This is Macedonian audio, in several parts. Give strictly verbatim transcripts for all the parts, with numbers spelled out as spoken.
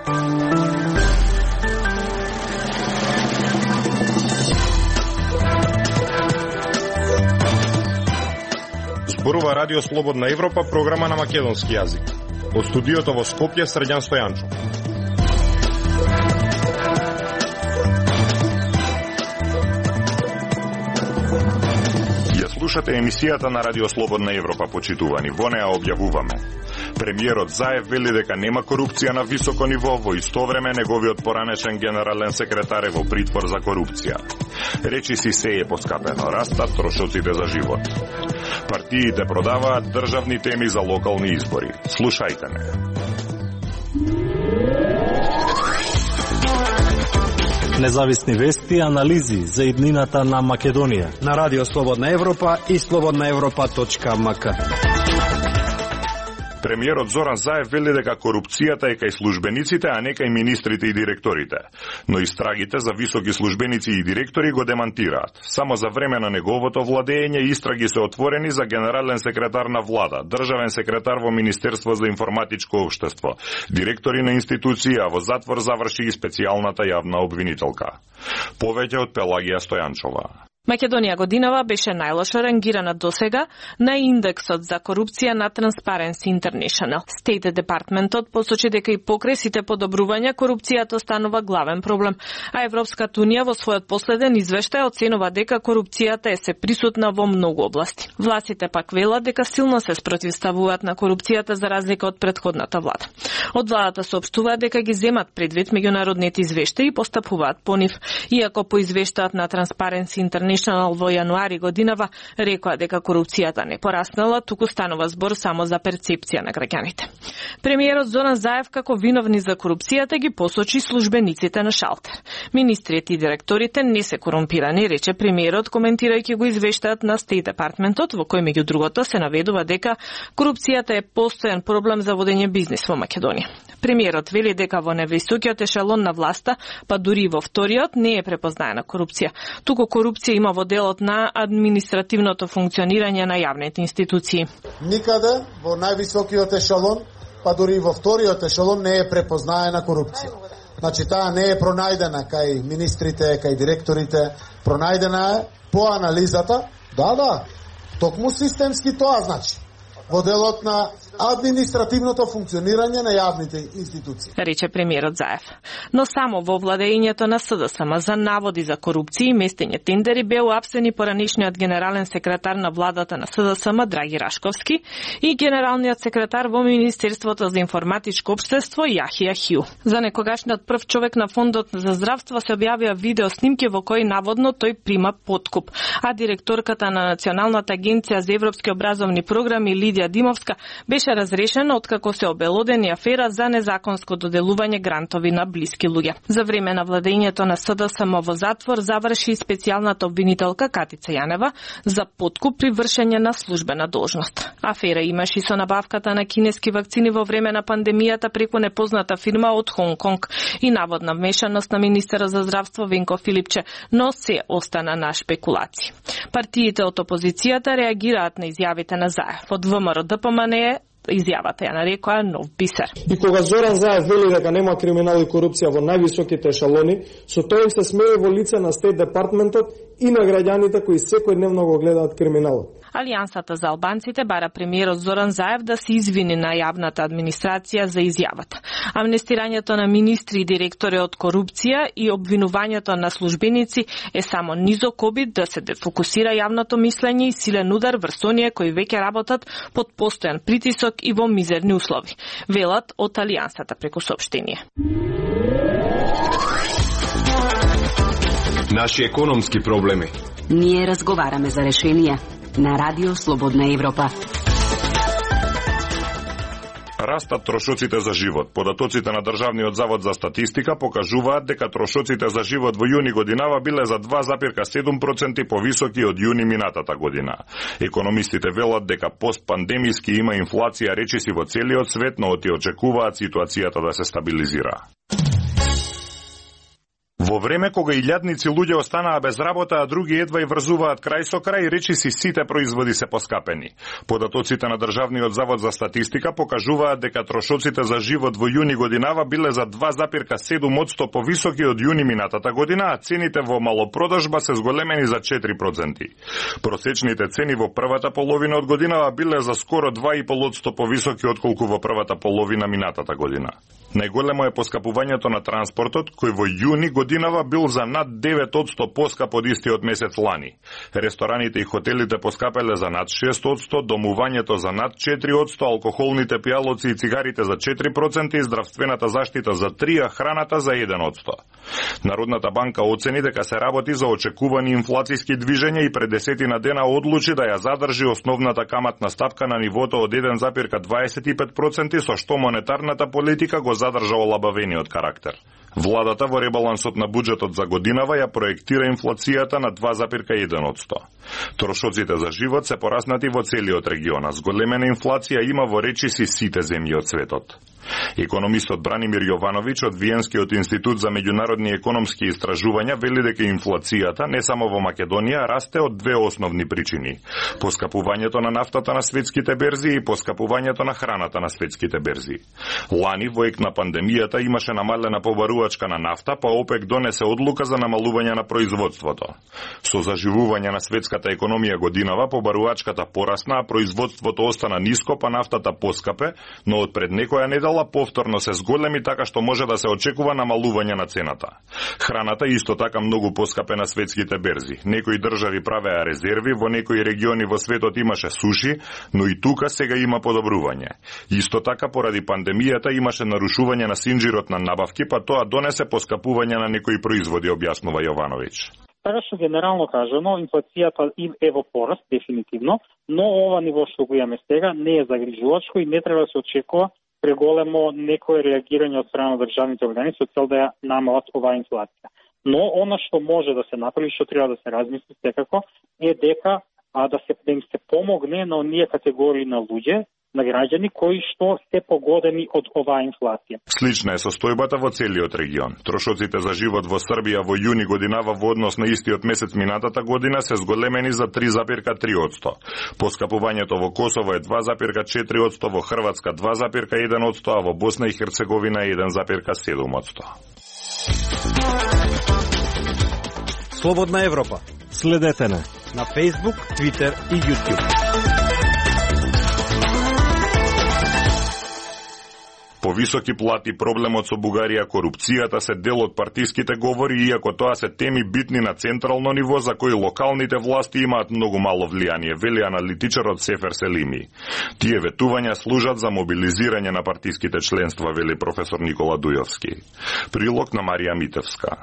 Зборува Радио Слободна Европа, програма на македонски јазик. Од студиото во Скопје, Срđan Стојанчов. Ја слушате емисијата на Радио Слободна Европа, почитувани. Во неа објавуваме: премиерот Заев вели дека нема корупција на високо ниво, во исто време неговиот поранешен генерален секретар е во притвор за корупција. Речиси се е поскапено, растат трошоците за живот. Партиите продаваат државни теми за локални избори. Слушајте не. Независни вести и анализи за иднината на Македонија на Радио Слободна Европа и слободна европа точка ем ка. Премиерот Зоран Заев вели дека корупцијата е кај службениците, а не кај министрите и директорите. Но истрагите за високи службеници и директори го демантираат. Само за време на неговото владење истраги се отворени за генерален секретар на влада, државен секретар во Министерство за информатичко општество, директори на институции, а во затвор заврши и специјалната јавна обвинителка. Повеќе од Пелагија Стојанчова. Македонија годинава беше најлошо рангирана досега на индексот за корупција на Transparency International. State Departmentот посочи дека и покрај сите подобрувања корупцијата останува главен проблем, а Европската унија во својот последен извештај оценува дека корупцијата е се присутна во многу области. Властите пак велат дека силно се спротивставуваат на корупцијата за разлика од претходната влада. Од владата соопштуваат дека ги земат предвид меѓународните извештаи и постапуваат по нив, иако по извештајот на Transparency International во јануари годинава рекоа дека корупцијата не пораснала, туку станува збор само за перцепција на граѓаните. Премиерот Зоран Заев како виновни за корупцијата ги посочи службениците на шалтер. Министрите и директорите не се корумпирани, рече премиерот коментирајќи го извештајот на State Departmentот, во кој меѓу другото се наведува дека корупцијата е постојан проблем за водење бизнис во Македонија. Премиерот вели дека во невисокиот ешелон на власта, па дури и во вториот, не е препознаена корупција. Туку корупција има во делот на административното функционирање на јавните институции. Никаде во највисокиот ешелон, па дури и во вториот ешелон не е препознаена корупција. Значи таа не е пронајдена кај министрите, кај директорите, пронајдена е по анализата, да, да, токму системски тоа значи, во делот на административното функционирање на јавните институции, рече премиерот Заев. Но само во владењето на СДСМ за наводи за корупција и местење тендери беа уапсени поранешниот генерален секретар на владата на СДСМ Драги Рашковски и генералниот секретар во Министерството за информатичко општество Јахија Хју. За некогашниот прв човек на Фондот за здравство се објавија видео снимки во кои наводно тој прима подкуп, а директорката на Националната агенција за европски образовни програми Лидија Димовска беше разрешена откако се обелодени афера за незаконско доделување грантови на блиски луѓе. За време на владењето на СДСМ во затвор заврши специјалната обвинителка Катица Јанева за подкуп при вршење на службена должност. Афера имаше и со набавката на кинески вакцини во време на пандемијата преку непозната фирма од Хонг Конг и наводна вмешаност на министера за здравство Венко Филипче, но се остана на шпекулации. Партиите од опозицијата реагираат на изјавите на Заев. Од ВМРО Д П М Н изјавата ја нарекоа нов бисер. И кога Зоран Заев вели дека нема криминал и корупција во највисоките ешелони, со тоа им се смее во лице на State Departmentот и на граѓаните кои секојдневно го гледаат криминалот. Алијансата за албанците бара премиерот Зоран Заев да се извини на јавната администрација за изјавата. Амнестирањето на министри и директори од корупција и обвинувањето на службеници е само низок обид да се дефокусира јавното мислење и силен удар врз оние кои веќе работат под постојан притисок и во мизерни услови, велат од Алијансата преку соопштение. Наши економски проблеми. Ние разговараме за решенија на Радио Слободна Европа. Растат трошоците за живот. Податоците на Државниот завод за статистика покажуваат дека трошоците за живот во јуни годинава биле за два запирка седум проценти повисоки од јуни минатата година. Економистите велат дека постпандемиски има инфлација речиси во целиот свет, но оти очекуваат ситуацијата да се стабилизира. Во време кога илјадници луѓе останаа без работа, а други едва и врзуваат крај со крај, речиси сите производи се поскапени. Податоците на Државниот завод за статистика покажуваат дека трошоците за живот во јуни годинава биле за два запирка седум одсто повисоки од јуни минатата година, а цените во малопродажба се зголемени за четири проценти. Просечните цени во првата половина од годинава биле за скоро два и пол одсто повисоки отколку во првата половина минатата година. Најголемо е поскапувањето на транспортот, кој во јуни годинава бил за над девет одсто поскап од истиот месец лани. Рестораните и хотелите поскапеле за над шест одсто, домувањето за над четири одсто, алкохолните пијалоци и цигарите за четири проценти, здравствената заштита за три, а храната за еден одсто. Народната банка оцени дека се работи за очекувани инфлацијски движења и пред десетина дена одлучи да ја задржи основната каматна стапка на нивото од еден запирка дваесет и пет проценти, со што монетарната политика го задржа олабавениот карактер. Владата во ребалансот на буџетот за годинава ја проектира инфлацијата на два запирка еден одсто. Трошоците за живот се пораснати во целиот регион, а зголемена инфлација има во речиси сите земји од светот. Економистот Бранимир Јовановиќ од Виенскиот институт за меѓународни економски истражувања вели дека инфлацијата не само во Македонија расте од две основни причини: поскапувањето на нафтата на светските берзи и поскапувањето на храната на светските берзи. Лани во ек на пандемијата имаше намалена побарувачка на нафта, па ОПЕК донесе одлука за намалување на производството. Со заживување на светската економија годинава побарувачката порасна, а производството остана ниско, па нафтата поскапе, но од пред некоја недела повторно се зголеми, така што може да се очекува намалување на цената. Храната исто така многу поскапе на светските берзи. Некои држави правеа резерви, во некои региони во светот имаше суши, но и тука сега има подобрување. Исто така поради пандемијата имаше нарушување на синџирот на набавки, па тоа донесе поскапување на некои производи, објаснува Јовановиќ. Така што генерално кажано, инфлацијата е во пораст, дефинитивно, но ова ниво што го имаме сега не е загрижувачко и не треба да се очекува преголемо некое реагирање од страна на државните органи со цел да ја намалат оваа инфлација. Но она што може да се направи, што треба да се размисли секако, е дека а, да се да им се помогне на оние категории на луѓе, на граѓани кои што се погодени од оваа инфлација. Слична е состојбата во целиот регион. Трошоците за живот во Србија во јуни годинава во однос на истиот месец минатата година се зголемени за три запирка три одсто. Поскапувањето во Косово е два запирка четири одсто, во Хрватска два запирка еден одсто, а во Босна и Херцеговина еден запирка седум одсто. Слободна Европа. Следете не на Facebook, Twitter и YouTube. Повисоки плати, проблемот со Бугарија, корупцијата се дел од партиските говори, иако тоа се теми битни на централно ниво за кои локалните власти имаат многу мало влијание, вели аналитичарот Сефер Селими. Тие ветувања служат за мобилизирање на партиските членства, вели професор Никола Дујовски. Прилог на Марија Митевска.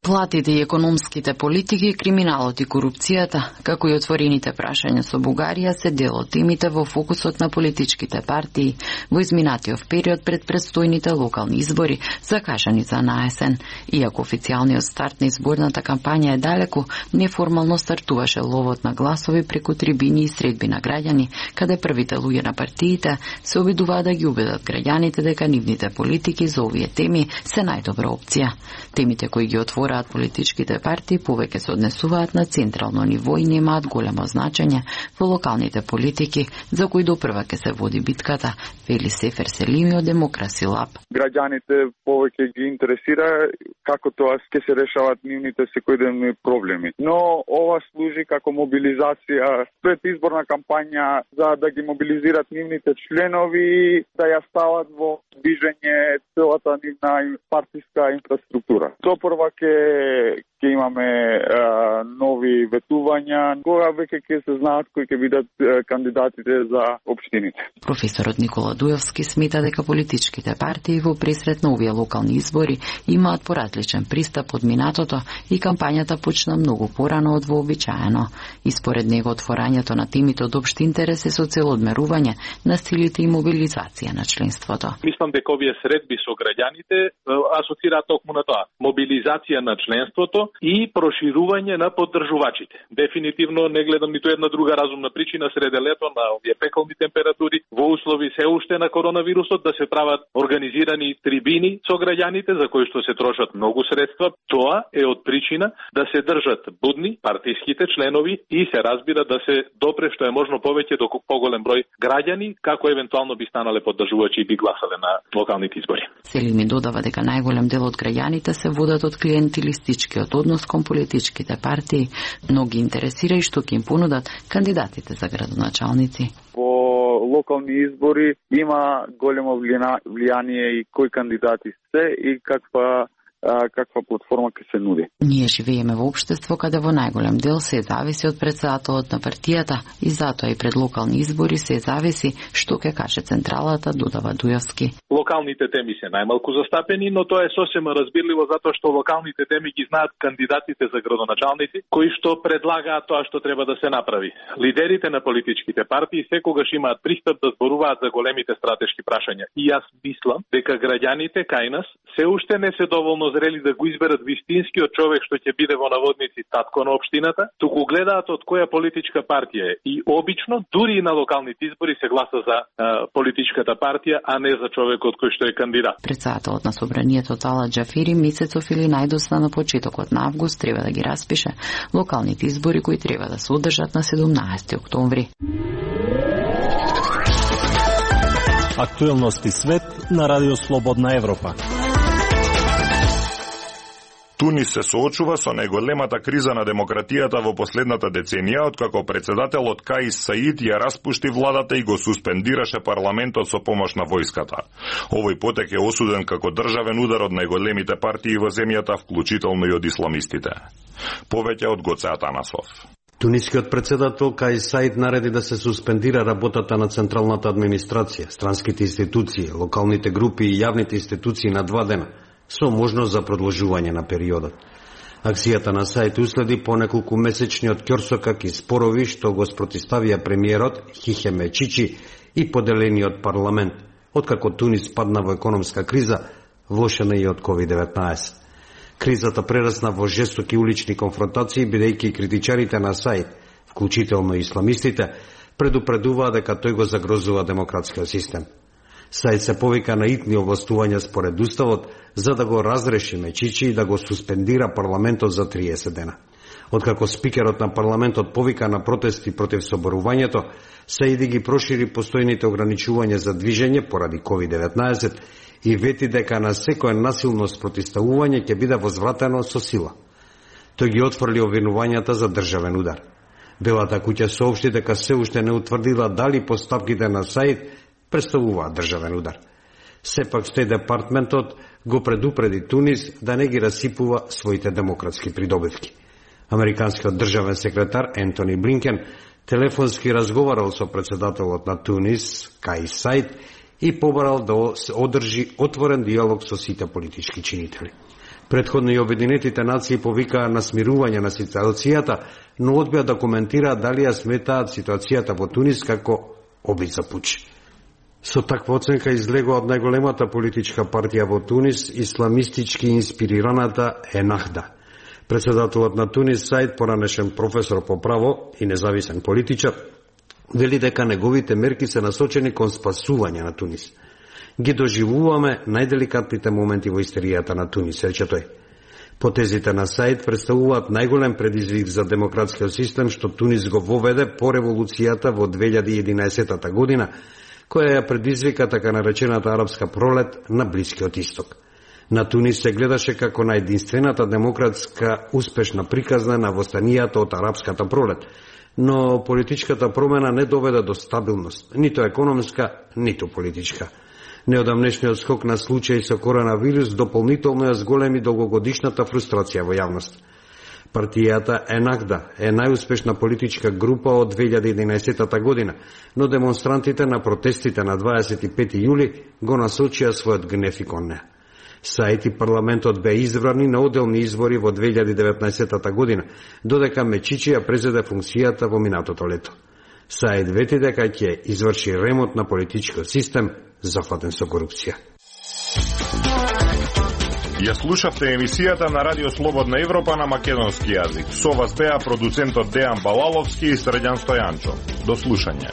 Платите и економските политики, криминалот и корупцијата, како и отворените прашања со Бугарија, се дел од темите во фокусот на политичките партии во изминатиот период пред предстојните локални избори, закажани за наесен. Иако официјалниот старт на изборната кампања е далеку, неформално стартуваше ловот на гласови преку трибини и средби на граѓани, каде првите луѓе на партиите се обидуваа да ги убедат граѓаните дека нивните политики за овие теми се најдобра опција. Темите кои ги отвора политичките партии повеќе се однесуваат на централно ниво и немаат големо значење во локалните политики, за кои допрва ќе се води битката, вели Сефер Селими од Демокраси Лаб. Граѓаните повеќе ги интересира како тоа ќе се решават нивните секојдневни проблеми. Но ова служи како мобилизација пред изборна кампања за да ги мобилизират нивните членови, да ја стават во движење целата нивна партиска инфраструктура. Допрва ќе ќе имаме а, нови ветувања, кога веќе ќе се знаат кои ќе бидат а, кандидатите за општините. Професорот Никола Дујовски смета дека политичките партии во пресрет на овие локални избори имаат поразличен пристап од минатото и кампањата почна многу порано од вообичаено. И според него отворањето на темите од општи интерес е со цел одмерување на силите и мобилизација на членството. Мислам дека овие средби со граѓаните асоцираат токму на тоа. Мобилизација на членството и проширување на поддржувачите. Дефинитивно не гледам ниту една друга разумна причина среде лето на овие пеколни температури во услови се уште на коронавирусот да се прават организирани трибини со граѓаните за кои што се трошат многу средства. Тоа е од причина да се држат будни партиските членови и се разбира да се допре што е можно повеќе до поголем број граѓани, како евентуално би станале поддржувачи и би гласале на локалните избори. Селими додава дека најголем дел од граѓаните се водат од клиентилистичкиот однос кон политичките партии, но ги интересира и што ќе им понудат кандидатите за градоначалници. Во локални избори има големо влијание и кои кандидати се и каква каква платформа ќе се нуди. Ние живееме во општество каде во најголем дел се зависи од претседателот на партијата и затоа и пред локални избори се зависи што ќе каже централата, додава Дујовски. Локалните теми се најмалку застапени, но тоа е сосема разбирливо затоа што локалните теми ги знаат кандидатите за градоначалници кои што предлагаат тоа што треба да се направи. Лидерите на политичките партии секогаш имаат пристап да зборуваат за големите стратешки прашања и јас мислам дека граѓаните кај нас се уште не се доволно зрели да го изберат вистинскиот човек што ќе биде во наводници татко на општината, туку гледаат од која политичка партија е. И обично, дури и на локалните избори се гласа за а, политичката партија, а не за човекот кој што е кандидат. Претседателот на собранието Тала Џафери месецов или најдосна на почетокот на август треба да ги распише локалните избори кои треба да се одржат на седумнаесети октомври. Актуелности свет на Радио Слободна Европа. Тунис се соочува со најголемата криза на демократијата во последната деценија, откако председателот Каис Саид ја распушти владата и го суспендираше парламентот со помош на војската. Овој потек е осуден како државен удар од најголемите партии во земјата, вклучително и од исламистите. Повеќе од Гоце Атанасов. Тунискиот председател Каис Саид нареди да се суспендира работата на централната администрација, странските институции, локалните групи и јавните институции на два дена, со можност за продолжување на периодот. Акцијата на Саид уследи по неколку месечниот ќорсокак и спорови што го спротиставија премиерот Хихеме Чичи и поделениот парламент, откако Тунис падна во економска криза, влошена и од ковид деветнаесет. Кризата прерасна во жестоки улични конфронтации, бидејќи критичарите на Саид, вклучително и исламистите, предупредуваа дека тој го загрозува демократскиот систем. Саид се повика на итни овластувања според уставот за да го разреши Мечичи и да го суспендира парламентот за триесет дена. Откако спикерот на парламентот повика на протести против соборувањето, Саид ги прошири постојните ограничувања за движење поради ковид деветнаесет и вети дека на секое насилно спротивставување ќе биде возвратено со сила. Тој ги отфрли обвинувањата за државен удар. Белата куќа соопшти дека се уште не утврдила дали постапките на Саид представуваат државен удар. Сепак Стејт департментот го предупреди Тунис да не ги расипува своите демократски придобивки. Американскиот државен секретар Ентони Блинкен телефонски разговарал со председателот на Тунис, Каис Саид, и побарал да се одржи отворен диалог со сите политички чинители. Претходно и Обединетите нации повикаа на смирување на ситуацијата, но одбија да коментираат дали ја сметаат ситуацијата во Тунис како обид за пуч. Со таква оценка излегува од најголемата политичка партија во Тунис, исламистички инспирираната Енахда. Председателот на Тунис Саид, поранешен професор по право и независен политичар, вели дека неговите мерки се насочени кон спасување на Тунис. Ги доживуваме најделикатните моменти во историјата на Тунис, рече тој. Потезите на Саид представуваат најголем предизвик за демократскиот систем што Тунис го воведе по револуцијата во две илјади и единаесета година, која ја предизвика така наречената арапска пролет на Блискиот исток. На Тунис се гледаше како на единствената демократска успешна приказна на востанијата од арапската пролет, но политичката промена не доведе до стабилност, ниту економска, ниту политичка. Неодамнешниот скок на случаи со коронавирус дополнително ја зголеми долгогодишната фрустрација во јавност. Партијата Енахда е најуспешна политичка група од две илјади и единаесета година, но демонстрантите на протестите на дваесет и пети јули го насочија својот гнев и кон неа. Саид и парламентот беа избрани на оделни избори во две илјади и деветнаесета година, додека Мечичи ја презеде функцијата во минатото лето. Саид вети дека ќе изврши ремонт на политичкиот систем зафатен со корупција. Ја слушавте емисијата на Радио Слободна Европа на македонски јазик. Со вас беа продуцентот Дејан Балаловски и Срđan Стојанчо. До слушање.